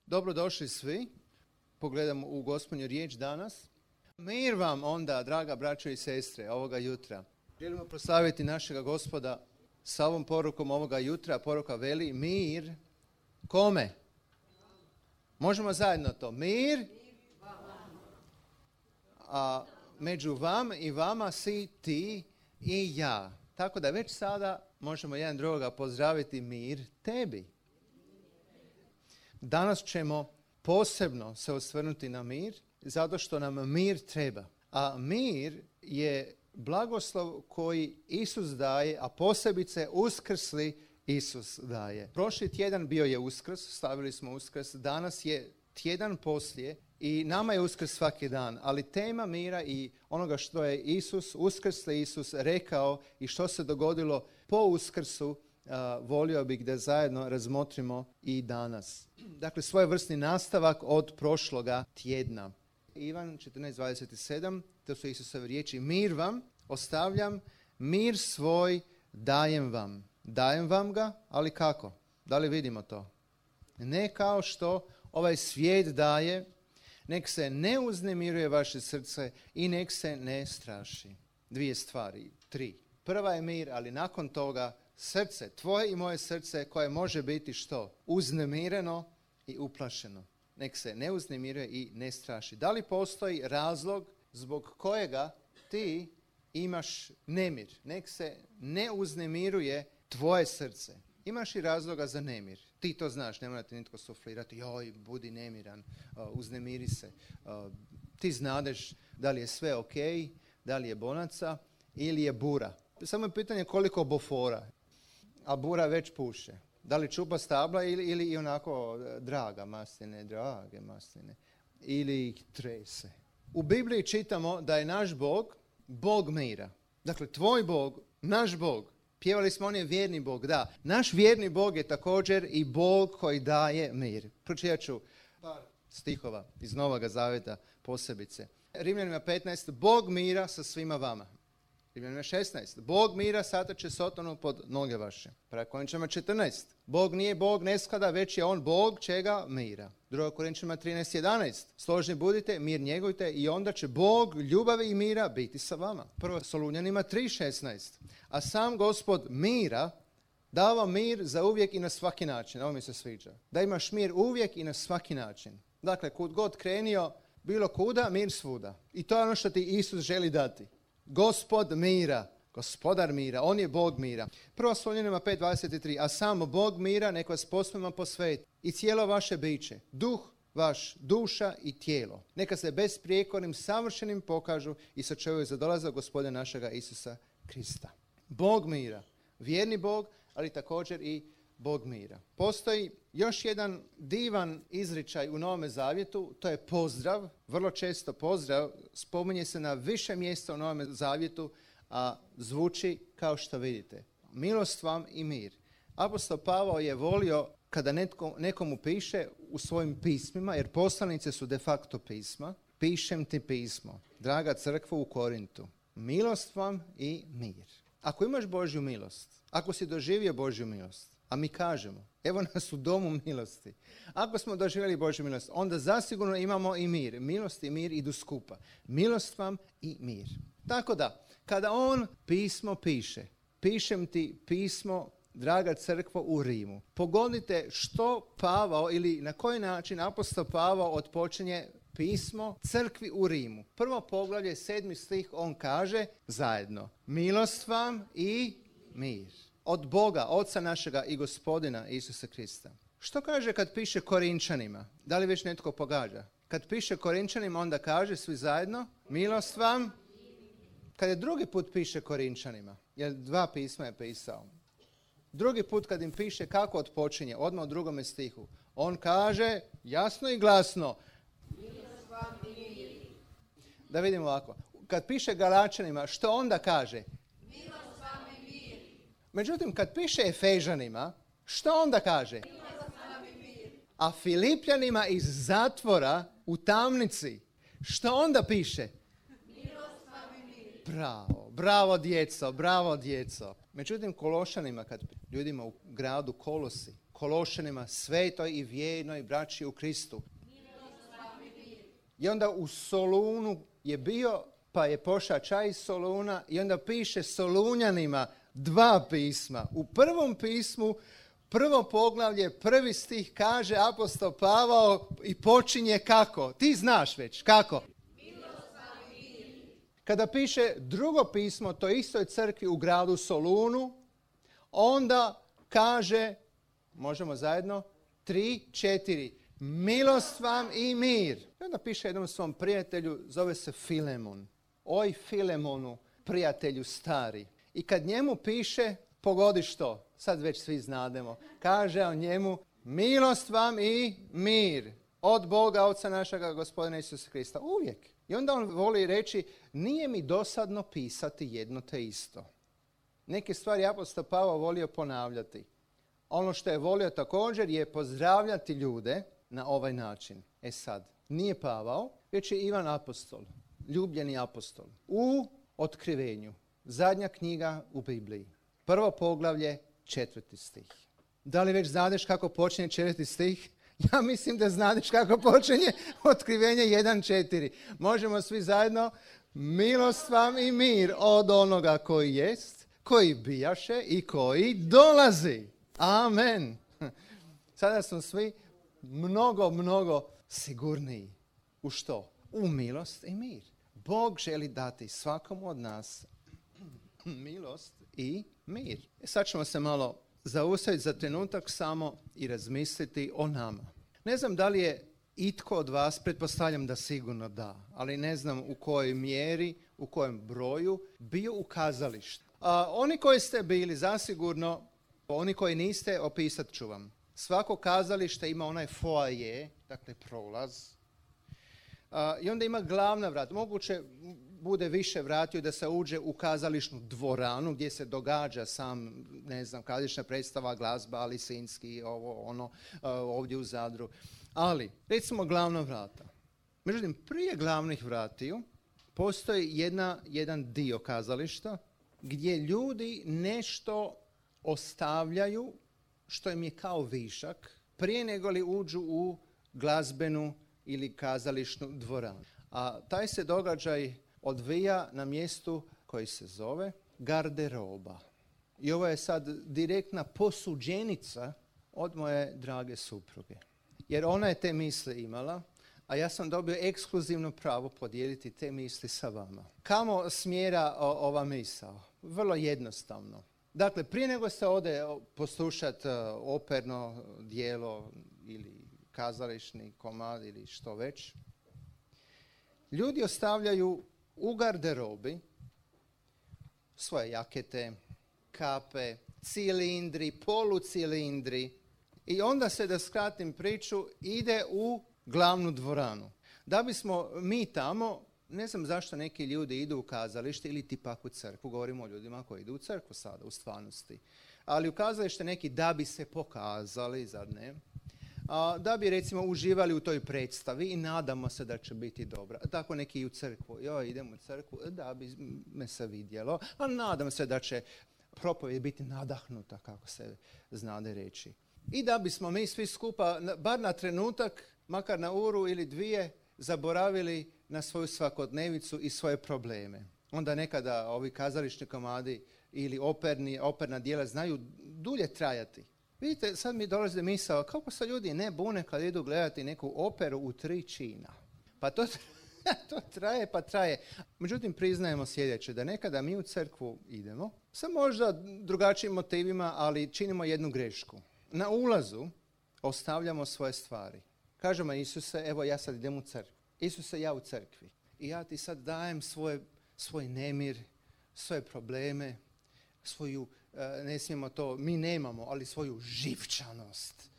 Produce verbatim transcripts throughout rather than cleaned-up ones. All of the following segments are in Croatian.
Dobrodošli svi. Pogledamo u Gospodnju riječ danas. Mir vam onda, draga braćo i sestre, ovoga jutra. Želimo proslaviti našega Gospoda sa ovom porukom ovoga jutra. Poruka veli mir. Kome? Možemo zajedno to. Mir. A među vam i vama si ti i ja. Tako da već sada možemo jedan drugoga pozdraviti mir tebi. Danas ćemo posebno se osvrnuti na mir, zato što nam mir treba. A mir je blagoslov koji Isus daje, a posebice uskrsli Isus daje. Prošli tjedan bio je Uskrs, stavili smo Uskrs, danas je tjedan poslije i nama je Uskrs svaki dan, ali tema mira i onoga što je Isus, uskrsli Isus rekao i što se dogodilo po Uskrsu, Uh, volio bih da zajedno razmotrimo i danas. Dakle, svojevrsni nastavak od prošloga tjedna. Ivan četrnaest dvadeset sedam, to su Isusove riječi. Mir vam ostavljam, mir svoj dajem vam. Dajem vam ga, ali kako? Da li vidimo to? Ne kao što ovaj svijet daje, nek se ne uznemiruje vaše srce i nek se ne straši. Dvije stvari, tri. Prva je mir, ali nakon toga srce, tvoje i moje srce koje može biti što? Uznemireno i uplašeno. Nek se ne uznemiruje i ne straši. Da li postoji razlog zbog kojega ti imaš nemir? Nek se ne uznemiruje tvoje srce. Imaš i razloga za nemir. Ti to znaš, ne mora ti nitko suflirati. Joj, budi nemiran, uh, uznemiri se. Uh, ti znadeš da li je sve ok, da li je bonaca ili je bura. Samo je pitanje koliko bofora. A bura već puše. Da li čupa stabla ili, ili i onako draga masline, drage masline. Ili ih trese. U Bibliji čitamo da je naš Bog, Bog mira. Dakle, tvoj Bog, naš Bog. Pjevali smo, on je vjerni Bog, da. Naš vjerni Bog je također i Bog koji daje mir. Pročitat ću par stihova iz Novoga Zaveta posebice. Rimljanima petnaest, Bog mira sa svima vama. Rimljanima šesnaest, Bog mira satače Sotonu pod noge vaše. Prvo Korinčanima četrnaest, Bog nije Bog nesklada, već je on Bog čega? Mira. Drugo Korinčanima trinaest jedanaest, složni budite, mir njegujte i onda će Bog ljubavi i mira biti sa vama. Prvo Solunjanima tri šesnaest, a sam Gospod mira dava mir za uvijek i na svaki način. Ovo mi se sviđa. Da imaš mir uvijek i na svaki način. Dakle, kud god krenio, bilo kuda, mir svuda. I to je ono što ti Isus želi dati. Gospod mira, gospodar mira, on je Bog mira. Prvo Solunjanima pet dvadeset tri, a samo Bog mira nek vas posvema posveti i cijelo vaše biće, duh vaš, duša i tijelo. Neka se besprijekornim, savršenim pokažu i sačuvaju za dolazak Gospodina našega Isusa Krista. Bog mira, vjerni Bog, ali također i Bog mira. Postoji još jedan divan izričaj u Novome Zavjetu, to je pozdrav. Vrlo često pozdrav spominje se na više mjesta u Novome Zavjetu, a zvuči kao što vidite. Milost vam i mir. Apostol Pavao je volio kada netko, nekomu piše u svojim pismima, jer poslanice su de facto pisma, pišem ti pismo, draga crkva u Korintu. Milost vam i mir. Ako imaš Božju milost, ako si doživio Božju milost, a mi kažemo, evo nas u domu milosti. Ako smo doživjeli Božju milost, onda zasigurno imamo i mir. Milost i mir idu skupa. Milost vam i mir. Tako da, kada on pismo piše, pišem ti pismo, draga crkvo u Rimu, pogodite što Pavao ili na koji način apostol Pavao otpočinje pismo crkvi u Rimu. Prvo poglavlje, sedmi stih, on kaže zajedno, milost vam i mir. Od Boga, Oca našega i Gospodina Isusa Krista. Što kaže kad piše Korinčanima? Da li već netko pogađa? Kad piše Korinčanima, onda kaže svi zajedno, milost vam. Kad je drugi put piše Korinčanima, jer dva pisma je pisao. Drugi put kad im piše kako otpočinje, odmah u drugome stihu, on kaže jasno i glasno, milost vam i mir. Da vidimo ovako. Kad piše Galačanima, što onda kaže? Međutim, kad piše Efežanima, što onda kaže? A Filipljanima iz zatvora u tamnici, što onda piše? Bravo, bravo djeco, bravo djeco. Međutim, Kološanima, kad ljudima u gradu Kolosi, Kološanima, svetoj i vjernoj braći u Kristu. I onda u Solunu je bio, pa je pošao čaj iz Soluna i onda piše Solunjanima dva pisma. U prvom pismu, prvo poglavlje, prvi stih kaže apostol Pavao i počinje kako? Ti znaš već, kako? Kada piše drugo pismo toj istoj crkvi u gradu Solunu, onda kaže, možemo zajedno, tri, četiri, milost vam i mir. I onda piše jednom svom prijatelju, zove se Filemon. Oj Filemonu, prijatelju stari. I kad njemu piše, pogodi što, sad već svi znademo, kaže on njemu, milost vam i mir od Boga, Oca našega, Gospodina Isusa Krista. Uvijek. I onda on voli reći, nije mi dosadno pisati jedno te isto. Neke stvari apostol Pavao volio ponavljati. Ono što je volio također je pozdravljati ljude na ovaj način. E sad, nije Pavao, već je Ivan apostol, ljubljeni apostol. U Otkrivenju, zadnja knjiga u Bibliji, prvo poglavlje, četvrti stih. Da li već znadeš kako počinje četvrti stih? Ja mislim da znadeš kako počinje Otkrivenje jedan četiri. Možemo svi zajedno, milost vam i mir od onoga koji jest, koji bijaše i koji dolazi. Amen. Sada smo svi mnogo, mnogo sigurniji. U što? U milost i mir. Bog želi dati svakomu od nas milost i mir. Sad ćemo se malo zaustaviti za trenutak samo i razmisliti o nama. Ne znam da li je itko od vas, pretpostavljam da sigurno da, ali ne znam u kojoj mjeri, u kojem broju, bio u kazalištu. A, oni koji ste bili, zasigurno, oni koji niste, opisat ću vam. Svako kazalište ima onaj foaje, dakle prolaz, a, i onda ima glavna vrata. Moguće bude više vratio da se uđe u kazališnu dvoranu gdje se događa sam, ne znam, kazališna predstava, glazba, Lisinski, ovo, ono, ovdje u Zadru. Ali, recimo glavna vrata. Međutim, prije glavnih vratiju postoji jedna, jedan dio kazališta gdje ljudi nešto ostavljaju što im je kao višak prije nego li uđu u glazbenu ili kazališnu dvoranu. A taj se događaj odvija na mjestu koji se zove garderoba. I ovo je sad direktna posuđenica od moje drage supruge. Jer ona je te misli imala, a ja sam dobio ekskluzivno pravo podijeliti te misli sa vama. Kamo smjera o, ova misao? Vrlo jednostavno. Dakle, prije nego se ode poslušati operno dijelo ili kazališni komad ili što već, ljudi ostavljaju u garderobi svoje jakete, kape, cilindri, polucilindri i onda se, da skratim priču, ide u glavnu dvoranu. Da bismo mi tamo, ne znam zašto neki ljudi idu u kazalište ili ti pak u crkvu, govorimo o ljudima koji idu u crkvu sada, u stvarnosti. Ali u kazalište neki da bi se pokazali, zar ne? A, da bi recimo uživali u toj predstavi i nadamo se da će biti dobra. Tako neki i u crkvu. Joj, idem u crkvu da bi me se vidjelo, a nadam se da će propovijed biti nadahnuta, kako se znade reći. I da bismo mi svi skupa, bar na trenutak, makar na uru ili dvije, zaboravili na svoju svakodnevicu i svoje probleme. Onda nekada ovi kazališni komadi ili operni, operna dijela znaju dulje trajati. Vidite, sad mi dolazi misao, kako se ljudi ne bune kad idu gledati neku operu u tri čina. Pa to, to traje, pa traje. Međutim, priznajemo sljedeće, da nekada mi u crkvu idemo, sa možda drugačijim motivima, ali činimo jednu grešku. Na ulazu ostavljamo svoje stvari. Kažemo Isuse, evo ja sad idem u crkvu. Isuse, ja u crkvi. I ja ti sad dajem svoje, svoj nemir, svoje probleme, svoju, ne smijemo to, mi nemamo, ali svoju živčanost.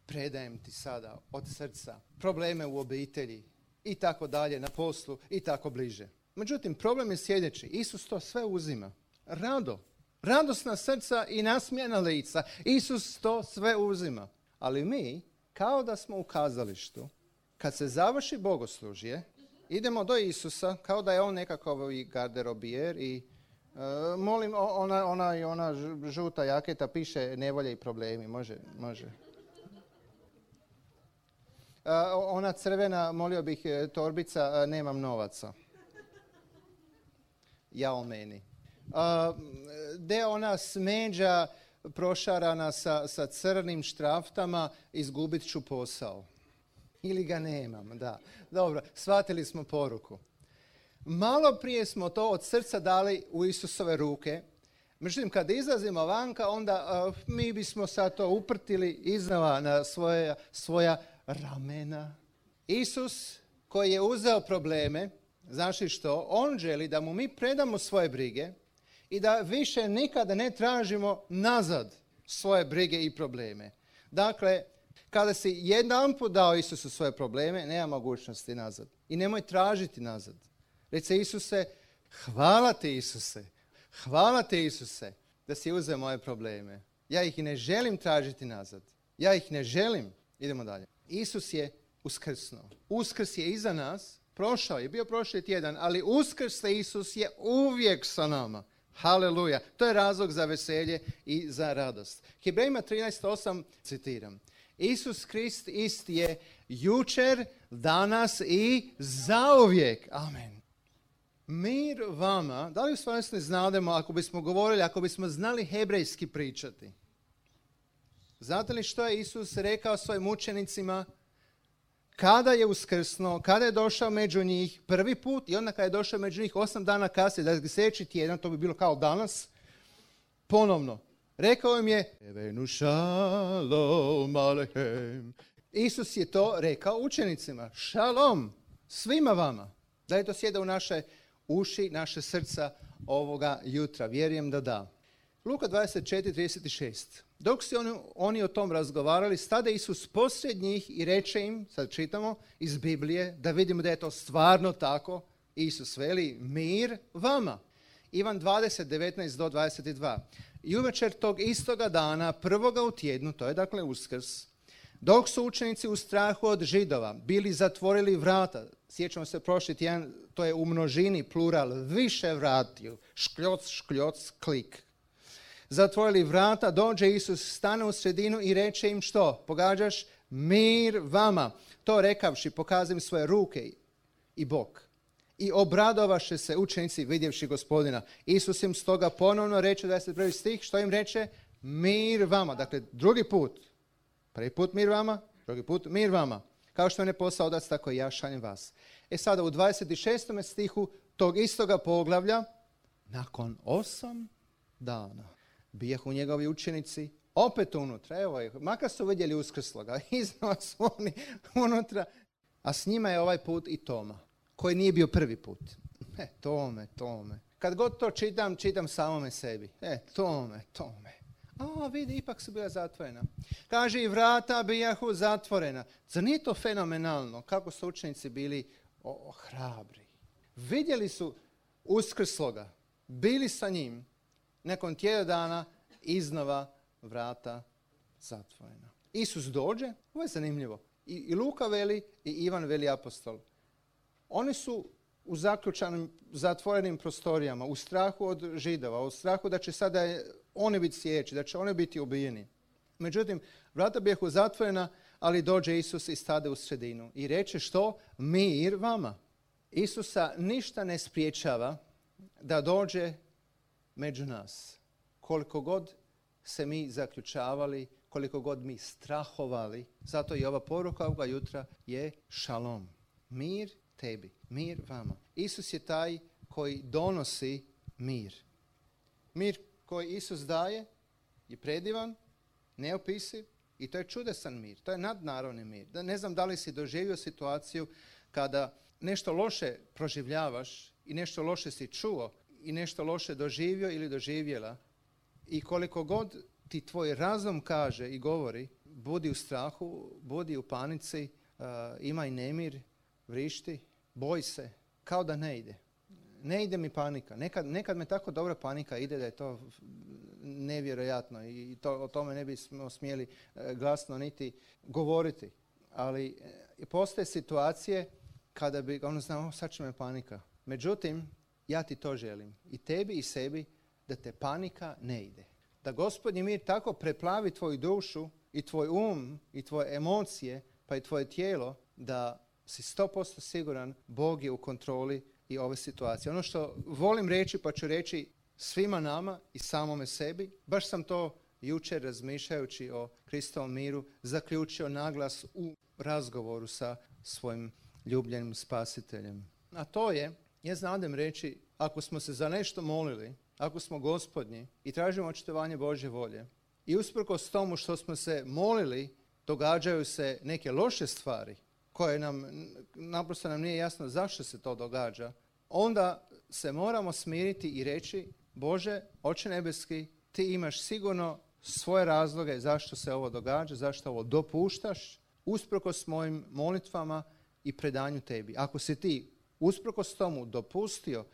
Predajem ti sada od srca probleme u obitelji i tako dalje, na poslu i tako bliže. Međutim, problem je sljedeći. Isus to sve uzima. Rado. Radosna srca i nasmijana lica. Isus to sve uzima. Ali mi, kao da smo u kazalištu, kad se završi bogoslužje, idemo do Isusa, kao da je on nekakav garderobijer i Uh, molim, ona, ona, ona žuta jaketa piše nevolje i problemi. Može, može. Uh, ona crvena, molio bih, torbica, uh, nemam novaca. Ja o meni. Uh, de ona smeđa prošarana sa, sa crnim štraftama, izgubit ću posao. Ili ga nemam, da. Dobro, shvatili smo poruku. Malo prije smo to od srca dali u Isusove ruke. Međutim, kad izlazimo vanka, onda uh, mi bismo sad to uprtili iznova na svoje, svoja ramena. Isus koji je uzeo probleme, znaš li što? On želi da mu mi predamo svoje brige i da više nikada ne tražimo nazad svoje brige i probleme. Dakle, kada si jedanput dao Isusu svoje probleme, nema mogućnosti nazad. I nemoj tražiti nazad. Reci Isuse, hvala ti Isuse, hvala ti Isuse da si uzeo moje probleme. Ja ih ne želim tražiti nazad. Ja ih ne želim. Idemo dalje. Isus je uskrsnuo. Uskrs je iza nas. Prošao je, bio prošli tjedan, ali uskrsli Isus je uvijek sa nama. Haleluja. To je razlog za veselje i za radost. Hebrejima trinaest osam citiram. Isus Krist ist je jučer, danas i zauvijek. Amen. Mir vama, da li u stvarnosti znademo, ako bismo govorili, ako bismo znali hebrejski pričati? Znate li što je Isus rekao svojim učenicima? Kada je uskrsnuo, kada je došao među njih prvi put i onda kada je došao među njih osam dana kasnije, da sljedeći tjedan, to bi bilo kao danas, ponovno. Rekao im je, Evenu šalom alehem. Isus je to rekao učenicima. Šalom svima vama. Da li to sjeda u naše uši, naše srca ovoga jutra? Vjerujem da da. Luka dvadeset četiri trideset šest. Dok su oni, oni o tom razgovarali, stade Isus poslije njih i reče im, sad čitamo iz Biblije, da vidimo da je to stvarno tako. Isus veli, mir vama. Ivan dvadeset devetnaest do dvadeset dva. I uvečer tog istoga dana, prvoga u tjednu, to je dakle Uskrs, dok su učenici u strahu od Židova bili zatvorili vrata, sjećamo se prošli tjedan, to je u množini plural, više vratiju, škljoc, škljoc, klik. Zatvorili vrata, dođe Isus, stane u sredinu i reče im što? Pogađaš? Mir vama. To rekavši, pokazim svoje ruke i bok. I obradovaše se učenici vidjevši Gospodina. Isus im stoga ponovno reče, dvadeset prvi stih, što im reče? Mir vama. Dakle, drugi put. Prvi put mir vama, drugi put mir vama. Kao što je ne posao otac, tako i ja šaljem vas. E sada u dvadeset šestom stihu tog istoga poglavlja, nakon osam dana, bijahu njegovi učenici opet unutra. Evo je, makar su vidjeli uskrsloga, iznova su oni unutra. A s njima je ovaj put i Toma, koji nije bio prvi put. E, Tome, Tome. Kad god to čitam, čitam samome sebi. E, Tome, Tome. A, vidi, ipak su bila zatvorena. Kaže, i vrata bijahu zatvorena. Zar nije to fenomenalno kako su učenici bili o, o, hrabri? Vidjeli su uskrsloga, bili sa njim, nakon tjedan dana iznova vrata zatvorena. Isus dođe, ovo je zanimljivo, i, i Luka veli i Ivan veli apostol. Oni su u zaključanim, zatvorenim prostorijama, u strahu od Židova, u strahu da će sada oni biti sjeći, da će oni biti ubijeni. Međutim, vrata bijahu zatvorena, ali dođe Isus i stade u sredinu. I reče što? Mir vama. Isusa ništa ne spriječava da dođe među nas. Koliko god se mi zaključavali, koliko god mi strahovali, zato i ova poruka ovoga jutra je šalom. Mir tebi, mir vama. Isus je taj koji donosi mir. Mir koji Isus daje je predivan, neopisiv i to je čudesan mir. To je nadnaravni mir. Da ne znam da li si doživio situaciju kada nešto loše proživljavaš i nešto loše si čuo i nešto loše doživio ili doživjela i koliko god ti tvoj razum kaže i govori, budi u strahu, budi u panici, uh, imaj nemir, vrišti, boj se, kao da ne ide. Ne ide mi panika. Nekad, nekad me tako dobra panika ide da je to nevjerojatno i to, o tome ne bismo smjeli uh, glasno niti govoriti. Ali uh, postoje situacije kada bi, ono znamo, sad će me panika. Međutim, Ja ti to želim. I tebi i sebi, da te panika ne ide. Da Gospodnji mir tako preplavi tvoju dušu i tvoj um i tvoje emocije, pa i tvoje tijelo, da si sto posto siguran Bog je u kontroli i ove situacije. Ono što volim reći, pa ću reći svima nama i samome sebi, baš sam to jučer razmišljajući o Kristovom miru zaključio naglas u razgovoru sa svojim ljubljenim spasiteljem. A to je, ja znadem reći, ako smo se za nešto molili, ako smo Gospodnji i tražimo očitovanje Božje volje i usprkos tomu što smo se molili, događaju se neke loše stvari koje nam, naprosto nam nije jasno zašto se to događa, onda se moramo smiriti i reći, Bože, Oče nebeski, ti imaš sigurno svoje razloge zašto se ovo događa, zašto ovo dopuštaš, usprkos mojim molitvama i predanju tebi. Ako si ti usprkos tomu dopustio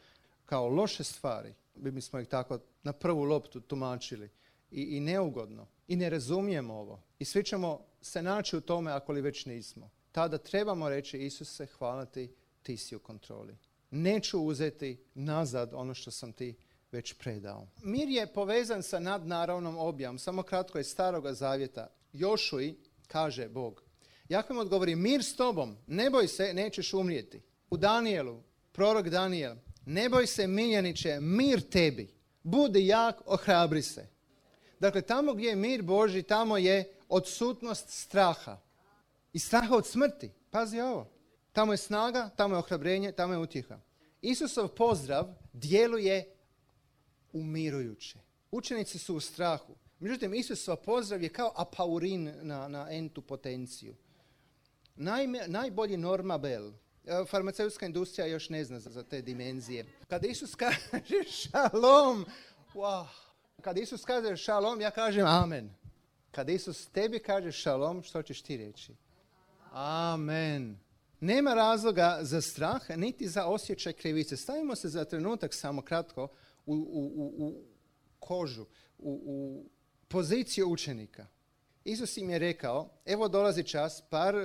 kao loše stvari, bi smo ih tako na prvu loptu tumačili i, i neugodno i ne razumijemo ovo i svi ćemo se naći u tome ako li već nismo. Tada trebamo reći, Isuse, hvala ti, ti si u kontroli. Neću uzeti nazad ono što sam ti već predao. Mir je povezan sa nadnaravnom objavom. Samo kratko iz Staroga zavjeta. Jošuji kaže Bog. Jakov mu odgovori, mir s tobom, ne boj se, nećeš umrijeti. U Danijelu, prorok Danijel, ne boj se miljeniče, mir tebi. Budi jak, ohrabri se. Dakle, tamo gdje je mir Božji, tamo je odsutnost straha. I straha od smrti. Pazi ovo. Tamo je snaga, tamo je ohrabrenje, tamo je utjeha. Isusov pozdrav djeluje umirujuće. Učenici su u strahu. Međutim, Isusov pozdrav je kao apaurin na, na entu potenciju. Najme, najbolji normabel. Farmaceutska industrija još ne zna za, za te dimenzije. Kada Isus kaže šalom, wow. Kada Isus kaže šalom, ja kažem amen. Kada Isus tebi kaže šalom, što ćeš ti reći? Amen. Nema razloga za strah, niti za osjećaj krivice. Stavimo se za trenutak samo kratko u, u, u, u kožu, u, u poziciju učenika. Isus im je rekao, evo dolazi čas, par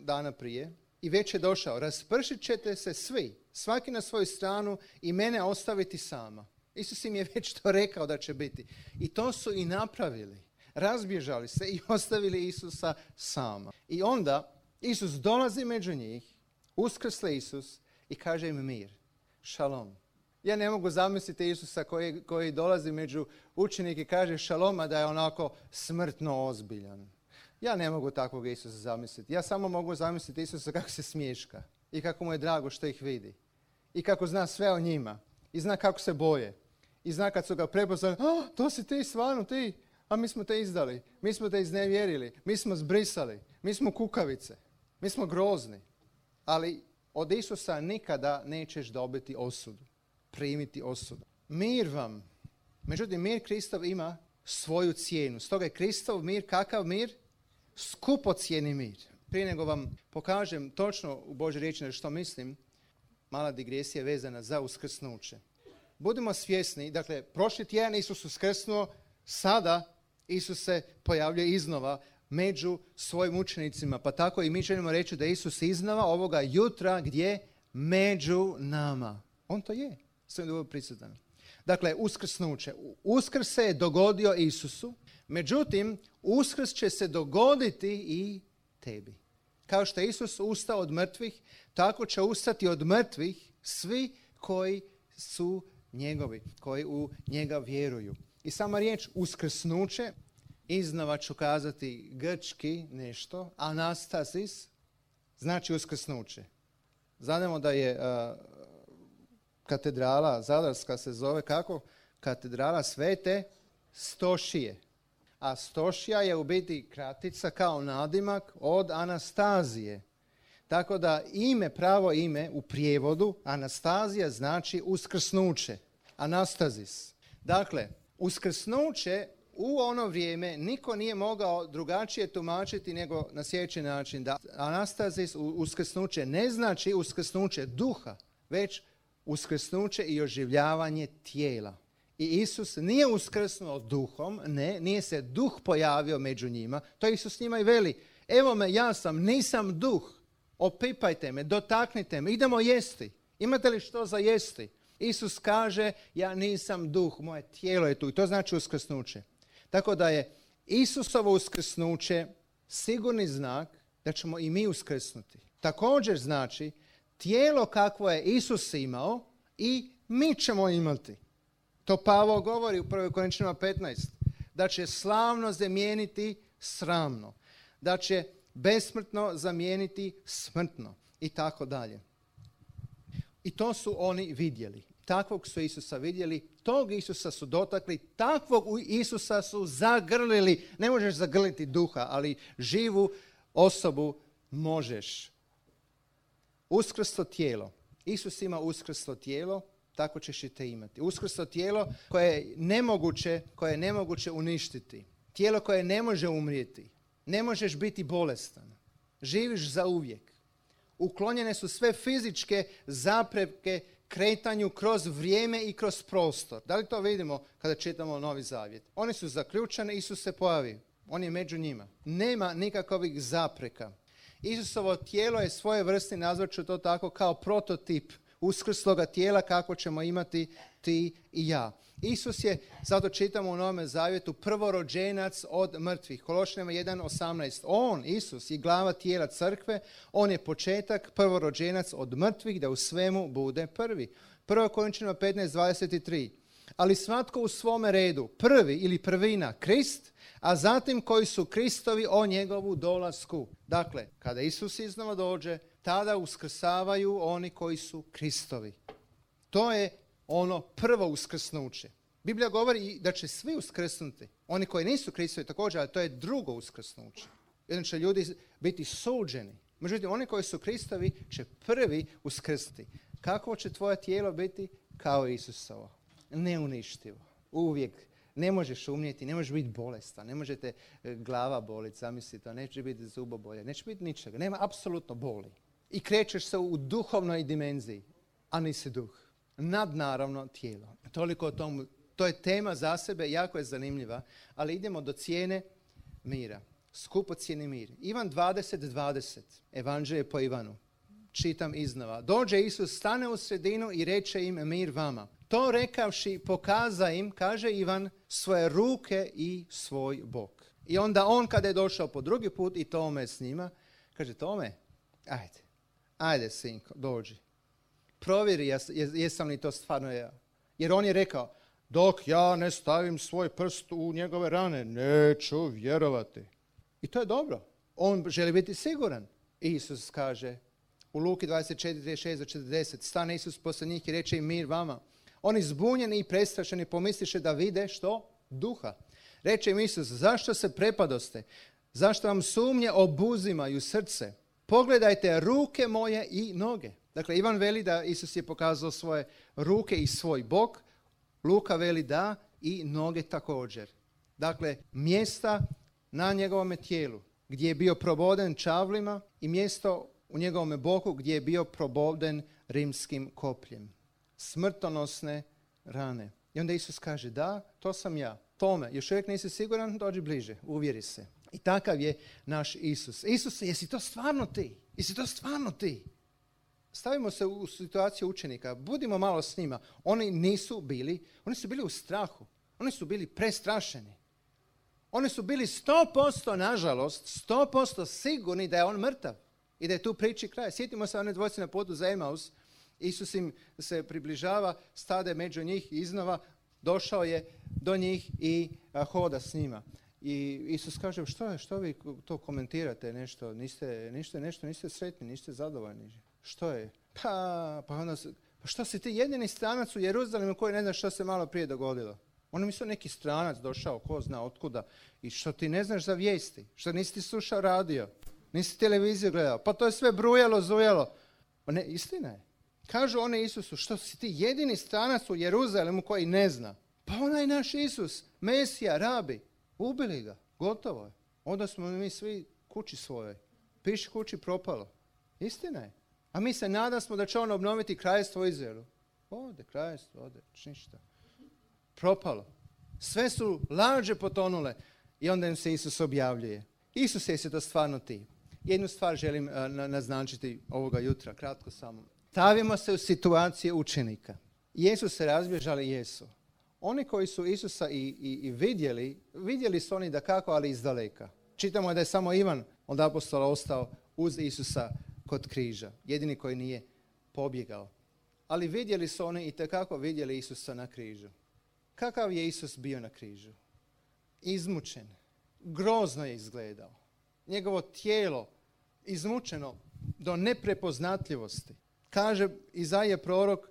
dana prije, i već je došao. Raspršit ćete se svi, svaki na svoju stranu i mene ostaviti sama. Isus im je već to rekao da će biti. I to su i napravili. Razbježali se i ostavili Isusa sama. I onda Isus dolazi među njih, uskrsli Isus i kaže im mir. Šalom. Ja ne mogu zamisliti Isusa koji, koji dolazi među učenike i kaže šaloma da je onako smrtno ozbiljan. Ja ne mogu takvog Isusa zamisliti. Ja samo mogu zamisliti Isusa kako se smješka i kako mu je drago što ih vidi. I kako zna sve o njima. I zna kako se boje. I zna kad su ga prepoznali, oh, to si ti stvarno ti, a mi smo te izdali, mi smo te iznevjerili, mi smo zbrisali, mi smo kukavice, mi smo grozni. Ali od Isusa nikada nećeš dobiti osudu, primiti osudu. Mir vam, međutim mir Kristov ima svoju cijenu. Stoga je Kristov mir, kakav mir? Skupocjeni mir. Prije nego vam pokažem točno u Božoj riječi što mislim, mala digresija vezana za uskrsnuće. Budimo svjesni, dakle, prošli tjedan Isus uskrsnuo, sada Isus se pojavljuje iznova među svojim učenicima. Pa tako i mi želimo reći da Isus iznova ovoga jutra gdje? Među nama. On to je. Sve dobro prisutan. Dakle, uskrsnuće. Uskrs se je dogodio Isusu, međutim, uskrs će se dogoditi i tebi. Kao što je Isus ustao od mrtvih, tako će ustati od mrtvih svi koji su njegovi, koji u njega vjeruju. I sama riječ uskrsnuće, iznova ću kazati grčki nešto, anastasis, znači uskrsnuće. Znamo da je uh, katedrala Zadarska se zove kako? Katedrala Svete Stošije. A Stošija je u biti kratica kao nadimak od Anastazije. Tako da ime, pravo ime u prijevodu Anastazija znači uskrsnuće. Anastazis. Dakle, uskrsnuće u ono vrijeme niko nije mogao drugačije tumačiti nego na sljedeći način. Da Anastazis, uskrsnuće, ne znači uskrsnuće duha, već uskrsnuće i oživljavanje tijela. I Isus nije uskrsnuo duhom, ne, nije se duh pojavio među njima. To Isus njima i veli, evo me, ja sam, nisam duh, opipajte me, dotaknite me, idemo jesti. Imate li što za jesti? Isus kaže, ja nisam duh, moje tijelo je tu. I to znači uskrsnuće. Tako da je Isusovo uskrsnuće sigurni znak da ćemo i mi uskrsnuti. Također znači, tijelo kakvo je Isus imao i mi ćemo imati. To Pavao govori u prvoj Korinčanima petnaest. Da će slavno zamijeniti sramno. Da će besmrtno zamijeniti smrtno. I tako dalje. I to su oni vidjeli. Takvog su Isusa vidjeli, tog Isusa su dotakli, takvog Isusa su zagrlili. Ne možeš zagrliti duha, ali živu osobu možeš. Uskrslo tijelo. Isus ima uskrslo tijelo, tako ćeš i te imati. Uskrslo tijelo koje je nemoguće, koje je nemoguće uništiti. Tijelo koje ne može umrijeti. Ne možeš biti bolestan. Živiš za uvijek. Uklonjene su sve fizičke zapreke kretanju kroz vrijeme i kroz prostor. Da li to vidimo kada čitamo Novi Zavjet? Oni su zaključani, Isus se pojavi. On je među njima. Nema nikakvih zapreka. Isusovo tijelo je svoje vrste, nazvat ću to tako, kao prototip uskrsloga tijela kako ćemo imati ti i ja. Isus je, zato čitamo u Novome Zavjetu, prvorođenac od mrtvih. Kološanima jedan osamnaest. On, Isus, je glava tijela crkve, on je početak, prvorođenac od mrtvih, da u svemu bude prvi. Prvo Korinčanima petnaest dvadeset tri. Ali svatko u svome redu, prvi ili prvina, Krist, a zatim koji su Kristovi o njegovu dolasku. Dakle, kada Isus iznova dođe, tada uskrsavaju oni koji su Kristovi. To je ono prvo uskrsnuće. Biblija govori da će svi uskrsnuti. Oni koji nisu Kristovi također, ali to je drugo uskrsnuće. Jedan će ljudi biti suđeni. Međutim, oni koji su Kristovi će prvi uskrsnuti. Kako će tvoje tijelo biti? Kao Isusovo. Neuništivo. Uvijek. Ne možeš umrijeti, ne možeš biti bolestan, ne možete glava boliti, zamislite, neće biti zubobolje, neće biti ničega, nema apsolutno boli. I krećeš se u duhovnoj dimenziji, a nisi duh. Nadnaravno tijelo. Toliko o tomu. To je tema za sebe, jako je zanimljiva, ali idemo do cijene mira. Skupocjeni mir. Ivan dvadeset dvadeset. Evanđelje po Ivanu. Čitam iznova. Dođe Isus, stane u sredinu i reče im mir vama. To rekavši pokaza im, kaže Ivan, svoje ruke i svoj bok. I onda on kada je došao po drugi put i Tome s njima, kaže Tome, ajde, ajde sinko, dođi. Provjeri jes, jesam li to stvarno ja. Jer on je rekao, dok ja ne stavim svoj prst u njegove rane, neću vjerovati. I to je dobro. On želi biti siguran. Isus kaže u Luki dvadeset četiri šest do četrdeset, stane Isus poslije njih i reče im mir vama. Oni zbunjeni i prestrašeni pomisliše da vide što? Duha. Reče im Isus, zašto se prepadoste? Zašto vam sumnje obuzimaju srce? Pogledajte ruke moje i noge. Dakle, Ivan veli da Isus je pokazao svoje ruke i svoj bok. Luka veli da i noge također. Dakle, mjesta na njegovome tijelu gdje je bio proboden čavlima i mjesto u njegovome boku gdje je bio proboden rimskim kopljem. Smrtonosne rane. I onda Isus kaže, da, to sam ja. Tome, još uvijek nisi siguran, dođi bliže, uvjeri se. I takav je naš Isus. Isus, jesi to stvarno ti? Jesi to stvarno ti? Stavimo se u situaciju učenika, budimo malo s njima. Oni nisu bili, oni su bili u strahu. Oni su bili prestrašeni. Oni su bili sto posto, nažalost, sto posto sigurni da je on mrtav i da je tu priči kraj. Sjetimo se one dvojce na putu za Emaus. Isus im se približava, stade među njih i iznova došao je do njih i a, hoda s njima. I Isus kaže, što je, što vi to komentirate, nešto, niste, ništa, nešto, niste sretni, niste zadovoljni. Što je? Pa, pa, onda, pa što si ti jedini stranac u Jeruzalemu koji ne zna što se malo prije dogodilo? Oni misle neki stranac došao, ko zna otkuda, i što ti ne znaš za vijesti, što nisi ti slušao radio, nisi televiziju gledao, pa to je sve brujalo, zujalo. Pa ne, istina je. Kažu oni Isusu, što si ti jedini stranac u Jeruzalemu koji ne zna? Pa onaj naš Isus, Mesija, rabi, ubili ga, gotovo je. Onda smo mi svi kući svojoj. Piši kući propalo. Istina je. A mi se nadamo da će on obnoviti kraljestvo u Izraelu. Ode, kraljestvo, ode, ništa. Propalo. Sve su laže potonule i onda im se Isus objavljuje. Isus, jesi to stvarno ti? Jednu stvar želim uh, naznačiti ovoga jutra, kratko samo. Stavimo se u situaciju učenika. Jesu se razbježali? Jesu. Oni koji su Isusa i, i, i vidjeli, vidjeli su oni da kako, ali izdaleka. Čitamo da je samo Ivan od apostola ostao uz Isusa kod križa. Jedini koji nije pobjegao. Ali vidjeli su oni i tekako vidjeli Isusa na križu. Kakav je Isus bio na križu? Izmučen. Grozno je izgledao. Njegovo tijelo izmučeno do neprepoznatljivosti. Kaže Izaija prorok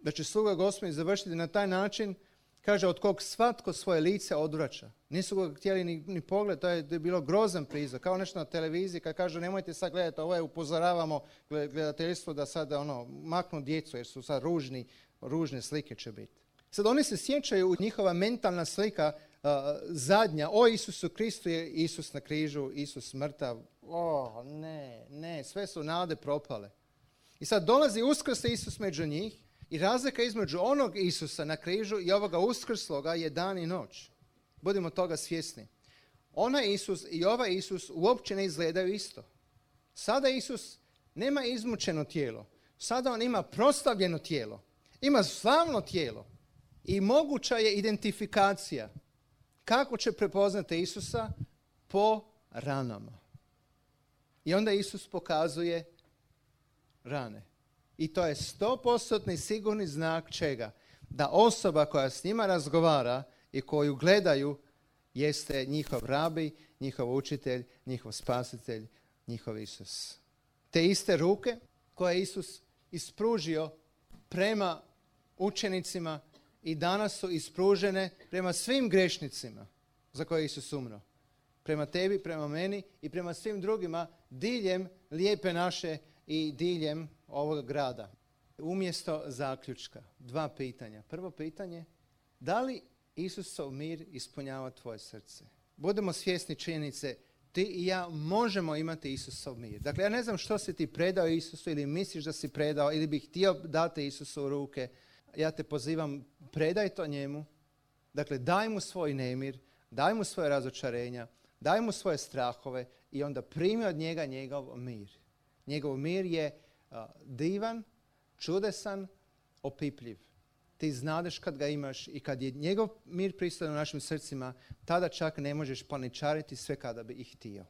da će sluga Gospodnji završiti na taj način, kaže, od kog svatko svoje lice odvraća. Nisu ga htjeli ni, ni pogled, to je, to je bilo grozan prizor, kao nešto na televiziji, kad kažu nemojte sad gledati, ovo je, upozoravamo gledateljstvo da sad ono, maknu djecu jer su sad ružni, ružne slike će biti. Sad oni se sjećaju, njihova mentalna slika uh, zadnja, o Isusu Kristu je Isus na križu, Isus mrtav, o ne, ne, sve su nade propale. I sad dolazi uskrsli Isus među njih i razlika između onog Isusa na križu i ovoga uskrsloga je dan i noć. Budimo toga svjesni. Onaj Isus i ovaj Isus uopće ne izgledaju isto. Sada Isus nema izmučeno tijelo. Sada on ima proslavljeno tijelo. Ima slavno tijelo. I moguća je identifikacija. Kako će prepoznati Isusa? Po ranama. I onda Isus pokazuje rane. I to je stopostotni sigurni znak čega? Da osoba koja s njima razgovara i koju gledaju jeste njihov rabi, njihov učitelj, njihov spasitelj, njihov Isus. Te iste ruke koje je Isus ispružio prema učenicima i danas su ispružene prema svim grešnicima za koje je Isus umro. Prema tebi, prema meni i prema svim drugima diljem lijepe naše i diljem ovog grada. Umjesto zaključka, dva pitanja. Prvo pitanje, da li Isusov mir ispunjava tvoje srce? Budemo svjesni činjenice, ti i ja možemo imati Isusov mir. Dakle, ja ne znam što si ti predao Isusu ili misliš da si predao ili bi htio dati Isusu u ruke. Ja te pozivam, predaj to njemu. Dakle, daj mu svoj nemir, daj mu svoje razočarenja, daj mu svoje strahove i onda primi od njega njegov mir. Njegov mir je uh, divan, čudesan, opipljiv. Ti znadeš kad ga imaš i kad je njegov mir prisutan u našim srcima, tada čak ne možeš paničariti sve kada bi ih htio.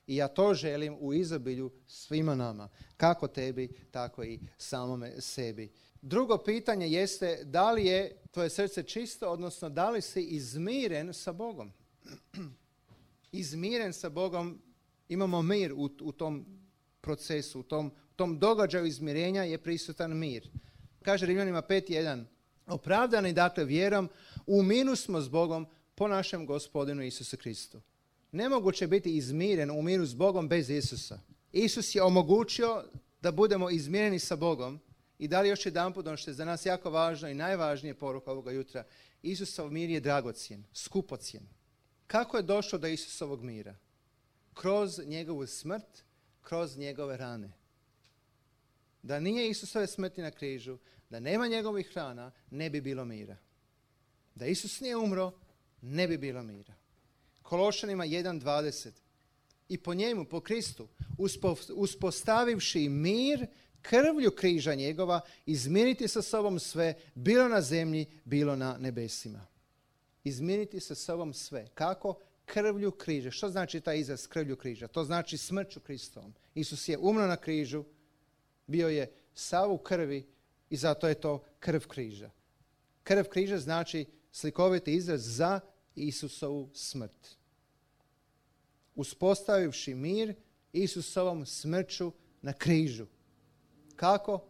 I ja to želim u izobilju svima nama, kako tebi, tako i samome sebi. Drugo pitanje jeste da li je tvoje srce čisto, odnosno da li si izmiren sa Bogom. Izmiren sa Bogom, imamo mir u, u tom procesu, u tom, tom događaju izmirenja je prisutan mir. Kaže Rimljanima pet jedan. Opravdani dakle vjerom, u miru smo s Bogom po našem Gospodinu Isusu Kristu. Nemoguće biti izmiren u miru s Bogom bez Isusa. Isus je omogućio da budemo izmireni sa Bogom i da li još jedanput ono što je za nas jako važno i najvažnije poruka ovoga jutra, Isusov mir je dragocjen, skupocjen. Kako je došlo do Isusovog mira? Kroz njegovu smrt, kroz njegove rane. Da nije Isusove smrti na križu, da nema njegovih rana, ne bi bilo mira. Da Isus nije umro, ne bi bilo mira. Kološanima jedan dvadeset. I po njemu, po Kristu, uspo, uspostavivši mir krvlju križa njegova, izmiriti sa sobom sve, bilo na zemlji, bilo na nebesima. Izmiriti sa sobom sve. Kako? Krvlju križa. Što znači taj izraz krvlju križa? To znači smrću Kristovom. Isus je umro na križu, bio je sav u krvi i zato je to krv križa. Krv križa znači slikoviti izraz za Isusovu smrt. Uspostavivši mir Isusovom smrću na križu. Kako?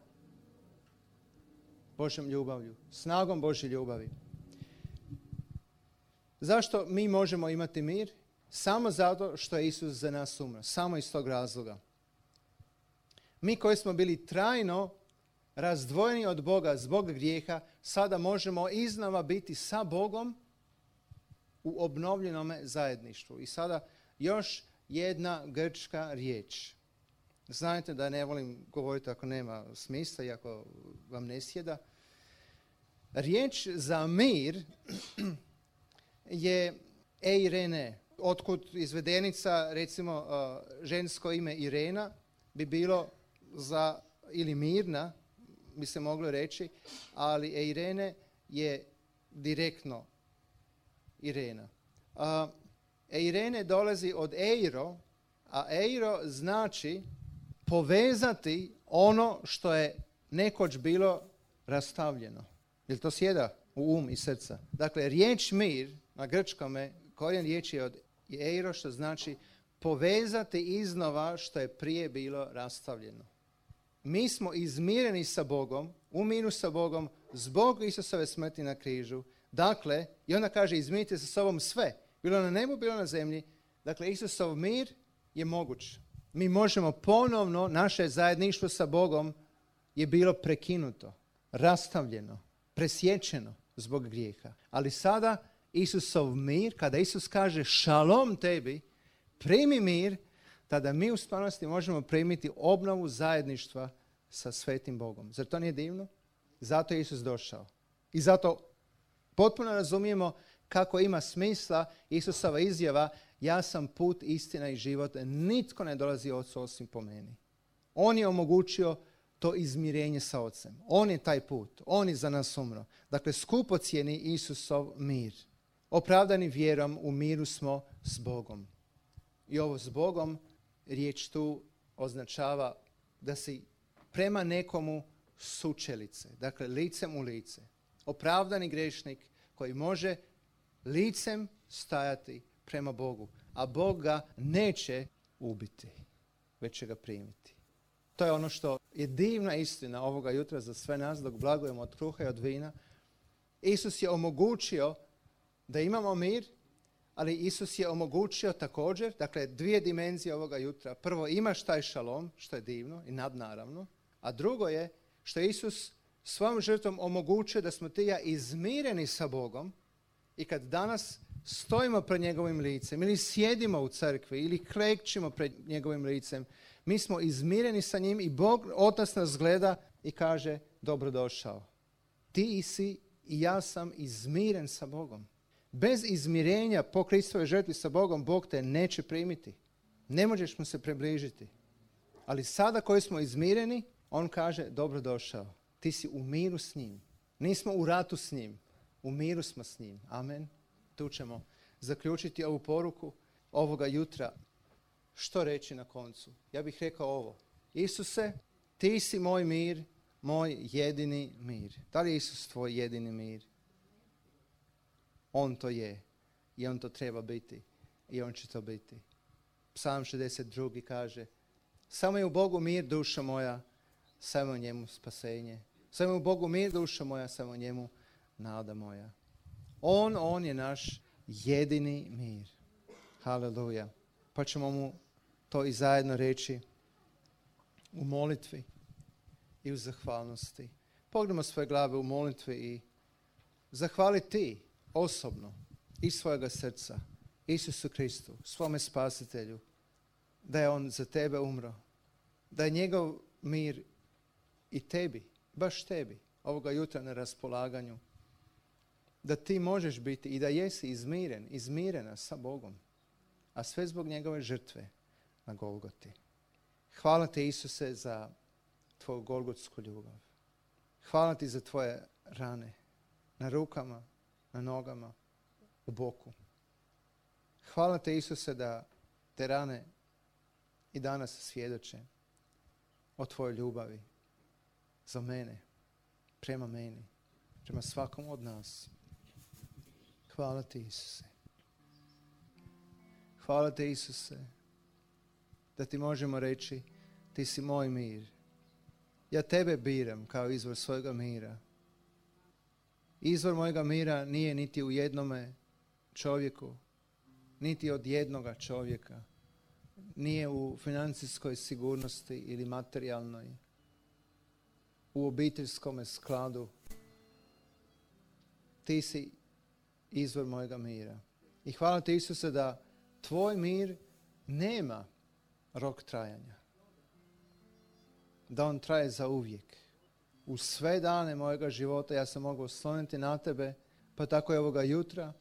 Božjom ljubavlju. Snagom Božje ljubavi. Zašto mi možemo imati mir? Samo zato što je Isus za nas umro. Samo iz tog razloga. Mi koji smo bili trajno razdvojeni od Boga zbog grijeha, sada možemo iznova biti sa Bogom u obnovljenom zajedništvu. I sada još jedna grčka riječ. Znate da ne volim govoriti ako nema smisla i ako vam ne sjeda. Riječ za mir je eirene. Otkud izvedenica, recimo žensko ime Irena, bi bilo za, ili mirna, bi se moglo reći, ali Eirene je direktno Irena. Uh, Eirene dolazi od eiro, a eiro znači povezati ono što je nekoć bilo rastavljeno. Jel to sjeda u um i srca? Dakle, riječ mir na grčkome, korijen riječi je od eiro, što znači povezati iznova što je prije bilo rastavljeno. Mi smo izmireni sa Bogom, u miru sa Bogom, zbog Isusove smrti na križu. Dakle, i onda kaže, izmirite sa sobom sve, bilo na nebu, bilo na zemlji. Dakle, Isusov mir je moguć. Mi možemo ponovno, naše zajedništvo sa Bogom je bilo prekinuto, rastavljeno, presječeno zbog grijeha. Ali sada Isusov mir, kada Isus kaže šalom tebi, primi mir, tada mi u stvarnosti možemo primiti obnovu zajedništva sa svetim Bogom. Zar to nije divno? Zato je Isus došao. I zato potpuno razumijemo kako ima smisla Isusova izjava, ja sam put, istina i život, nitko ne dolazi Ocu osim po meni. On je omogućio to izmirenje sa Ocem. On je taj put. On je za nas umro. Dakle, skupocijeni Isusov mir. Opravdani vjerom u miru smo s Bogom. I ovo s Bogom, riječ tu označava da si prema nekomu sučelice. Dakle, licem u lice. Opravdani grešnik koji može licem stajati prema Bogu. A Bog ga neće ubiti, već će ga primiti. To je ono što je divna istina ovoga jutra za sve nas dok blagujemo od kruha i od vina. Isus je omogućio da imamo mir, ali Isus je omogućio također, dakle dvije dimenzije ovoga jutra. Prvo, imaš taj šalom, što je divno i nadnaravno, a drugo je što je Isus svojom žrtvom omogućio da smo ti i ja izmireni sa Bogom i kad danas stojimo pred njegovim licem ili sjedimo u crkvi ili klekćimo pred njegovim licem, mi smo izmireni sa njim i Bog, Otac nas gleda i kaže dobrodošao. Ti si i ja sam izmiren sa Bogom. Bez izmirenja po Kristovoj žrtvi sa Bogom, Bog te neće primiti. Ne možeš mu se približiti. Ali sada koji smo izmireni, on kaže dobrodošao. Ti si u miru s njim. Nismo u ratu s njim. U miru smo s njim. Amen. Tu ćemo zaključiti ovu poruku ovoga jutra. Što reći na koncu? Ja bih rekao ovo. Isuse, ti si moj mir, moj jedini mir. Da li je Isus tvoj jedini mir? On to je. I on to treba biti. I on će to biti. Psalm šezdeset dva kaže, samo je u Bogu mir, duša moja, samo u njemu spasenje. Samo je u Bogu mir, duša moja, samo u njemu nada moja. On, on je naš jedini mir. Haleluja. Pa ćemo mu to i zajedno reći u molitvi i u zahvalnosti. Pogledamo svoje glave u molitvi i zahvali ti osobno iz svojega srca Isusu Kristu, svome spasitelju, da je on za tebe umro, da je njegov mir i tebi, baš tebi, ovoga jutra na raspolaganju, da ti možeš biti i da jesi izmiren, izmirena sa Bogom, a sve zbog njegove žrtve na Golgoti. Hvala ti, Isuse, za tvoju golgotsku ljubav. Hvala ti za tvoje rane na rukama, na nogama, u boku. Hvala te, Isuse, da te rane i danas svjedoče o tvojoj ljubavi za mene, prema meni, prema svakom od nas. Hvala ti, Isuse. Hvala te, Isuse, da ti možemo reći ti si moj mir. Ja tebe biram kao izvor svojega mira. Izvor mojega mira nije niti u jednome čovjeku, niti od jednoga čovjeka. Nije u financijskoj sigurnosti ili materijalnoj, u obiteljskom skladu. Ti si izvor mojega mira. I hvala ti, Isuse, da tvoj mir nema rok trajanja. Da on traje za uvijek. U sve dane mojega života ja sam mogao osloniti na tebe, pa tako je ovoga jutra.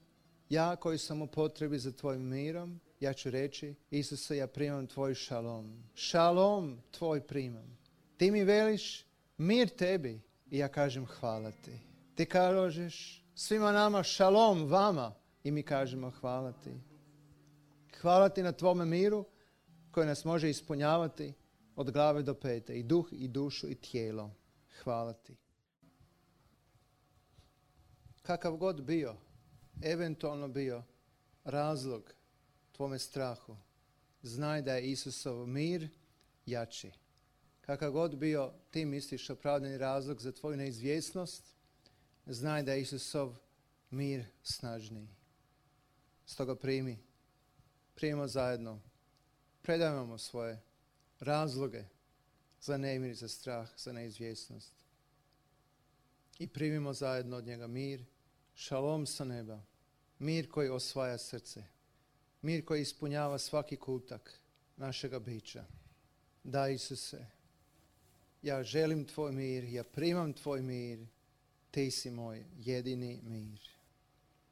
Ja koji sam u potrebi za tvojim mirom, ja ću reći, Isuse, ja primam tvoj šalom. Šalom tvoj primam. Ti mi veliš mir tebi, I ja kažem hvala ti. Ti kažeš svima nama šalom vama i mi kažemo hvala ti. Hvala ti na tvome miru koji nas može ispunjavati od glave do pete, i duh, i dušu, i tijelo. Hvala ti. Kakav god bio, eventualno bio razlog tvome strahu, znaj da je Isusov mir jači. Kakav god bio ti misliš opravdani razlog za tvoju neizvjesnost, znaj da je Isusov mir snažniji. Stoga primi, primimo zajedno, predajmo svoje razloge za nemir, za strah, za neizvjesnost. I primimo zajedno od njega mir, šalom sa neba, mir koji osvaja srce, mir koji ispunjava svaki kutak našega bića. Da, Isuse, ja želim tvoj mir, ja primam tvoj mir, ti si moj jedini mir.